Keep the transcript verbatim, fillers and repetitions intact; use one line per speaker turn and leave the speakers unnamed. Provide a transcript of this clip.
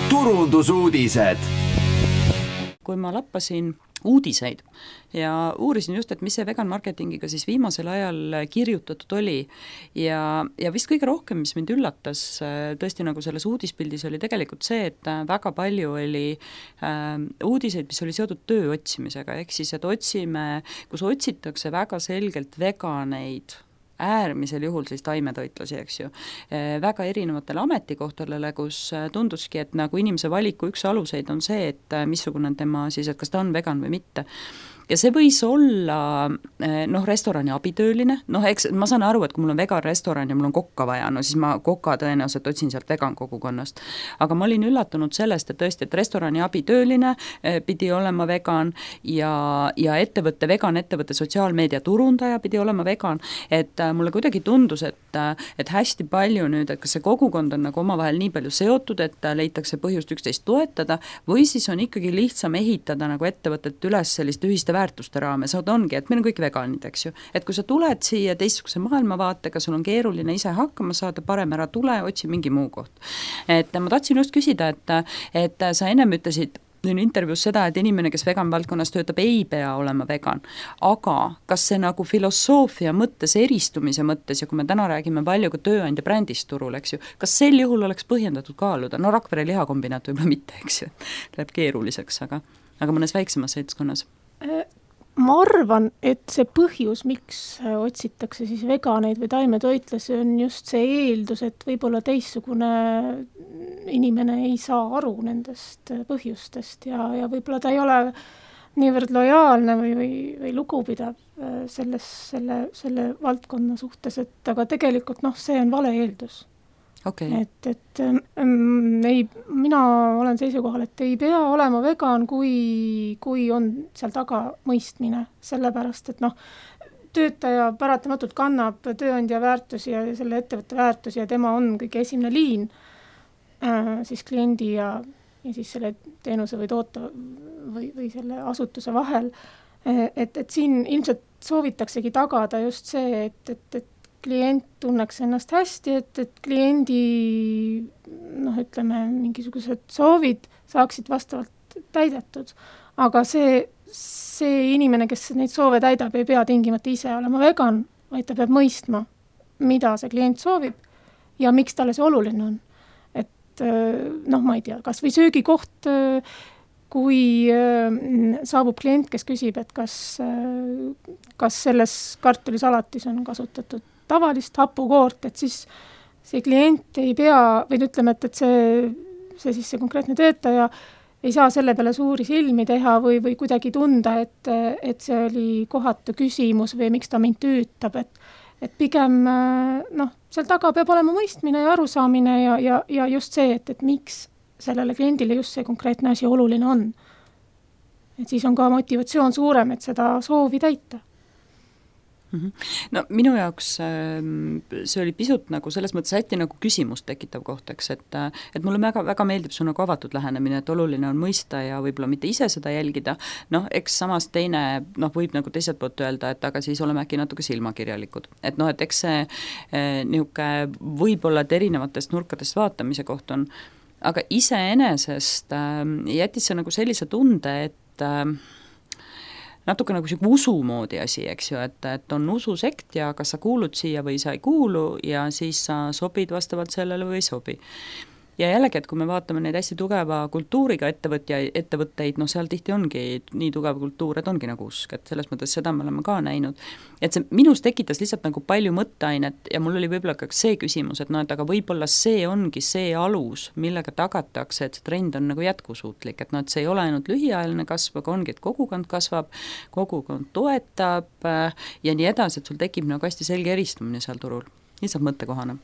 turundusuudised.
Kui ma lappasin uudiseid ja uurisin just, et mis see vegan marketingiga siis viimasel ajal kirjutatud oli ja, ja vist kõige rohkem, mis mind üllatas tõesti nagu selles uudispildis oli tegelikult see, et väga palju oli äh, uudiseid, mis oli seotud töö otsimisega, ehk siis, et otsime, kus otsitakse väga selgelt veganeid, äärmisel juhul siis taimetoitlasi, eks ju, väga erinevatele ametikohtadele, kus tunduski, et nagu inimese valiku üks aluseid on see, et missugune on tema siis, et kas ta on vegan või mitte. Ja see võis olla noh, restorani abitööline, noh eks ma saan aru, et kui mul on vegan restoran ja mul on kokka vaja, no siis ma koka tõenäoliselt otsin sealt vegan kogukonnast. Aga ma olin üllatunud sellest, et tõesti, et restorani abitööline pidi olema vegan ja, ja ettevõtte, vegan ettevõtte sotsiaalmeedia turundaja pidi olema vegan, et mulle kuidagi tundus, et, et hästi palju nüüd, et kas see kogukond on nagu omavahel nii palju seotud, et leitakse põhjust üksteist toetada või siis on ikkagi lihtsam ehitada nagu ettevõtet üles sellist ühiste väärtuste raames, ongi, et meil on kõik veganid, eks ju. Et kui sa tuled siia teistsuguse maailmavaatega, sul on keeruline ise hakkama saada, parem ära tule, otsi mingi muu koht. Et ma tahtsin just küsida, et, et sa ennem ütlesid intervjuus seda, et inimene, kes vegan valdkonnas töötab, ei pea olema vegan. Aga kas see nagu filosoofia mõttes, eristumise mõttes, ja kui me täna räägime palju ka tööandja brändist turul, eks ju, kas sel juhul oleks põhjendatud kaaluda? No Rakvere lihakombinaat võib-olla mitte, eks ju, läheb keeruliseks, aga, aga mõnes väiksemas seltskonnas.
Ma arvan, et see põhjus, miks otsitakse siis veganeid või taimetoitlasi, on just see eeldus, et võib-olla teistsugune inimene ei saa aru nendest põhjustest ja, ja võib-olla ta ei ole niivõrd lojaalne või, või, või lugupidav selles, selle, selle valdkonna suhtes, et aga tegelikult noh, see on vale eeldus. Okay. Et, et ähm, ei, mina olen seisukohal, et ei pea olema vegan, kui, kui on seal taga mõistmine, sellepärast, et noh, töötaja paratamatult kannab tööandja väärtusi ja selle ettevõtte väärtusi ja tema on kõige esimene liin äh, siis kliendi ja, ja siis selle teenuse või toote või, või selle asutuse vahel. Et, et siin ilmselt soovitaksegi tagada just see, et, et, et klient tunneks ennast hästi, et, et kliendi noh, ütleme, mingisugused soovid saaksid vastavalt täidetud. Aga see, see inimene, kes neid soove täidab, ei pea tingimata ise olema vegan, vaid ta peab mõistma, mida see klient soovib ja miks talle see oluline on. Et noh, ma ei tea, kas või söögikoht, kui saabub klient, kes küsib, et kas, kas selles kartulisalatis on kasutatud tavalist hapukoort, et siis see klient ei pea, või ütleme, et, et see, see siis see konkreetne töötaja ei saa selle peale suuri silmi teha või, või kuidagi tunda, et, et see oli kohatu küsimus või miks ta mind tüütab, et, et pigem noh, seal taga peab olema mõistmine ja arusaamine ja, ja, ja just see, et, et miks sellele kliendile just see konkreetne asi oluline on. Et siis on ka motivatsioon suurem, et seda soovi täita.
No minu jaoks see oli pisut nagu selles mõttes hästi nagu küsimust tekitav koht, eks, et, et mulle väga, väga meeldib su nagu avatud lähenemine, et oluline on mõista ja võib-olla mitte ise seda jälgida, noh, eks samas teine, noh, võib nagu teiselt poolt öelda, et aga siis oleme äkki natuke silmakirjalikud, et noh, et eks see eh, nihuke võib-olla et erinevatest nurkadest vaatamise koht on, aga iseenesest äh, jättis see nagu sellise tunde, et äh, natuke nagu siuke usu moodi asi, eks ju, et, et on ususekt ja kas sa kuulud siia või sa ei kuulu ja siis sa sobid vastavalt sellele või ei sobi. Ja jällegi, et kui me vaatame neid hästi tugeva kultuuriga ettevõtja, ettevõtteid, noh seal tihti ongi nii tugev kultuur, et ongi nagu usk, et selles mõttes seda me oleme ka näinud. Et see minus tekitas lihtsalt nagu palju mõtteainet ja mul oli võib-olla ka see küsimus, et noh, et aga võib-olla see ongi see alus, millega tagatakse, et see trend on nagu jätkusuutlik, et noh, et see ei ole ainult lühiajaline kasv, aga ongi, et kogukond kasvab, kogukond toetab ja nii edasi, et sul tekib nagu hästi selge eristumine seal turul. Lihtsalt mõttekohana.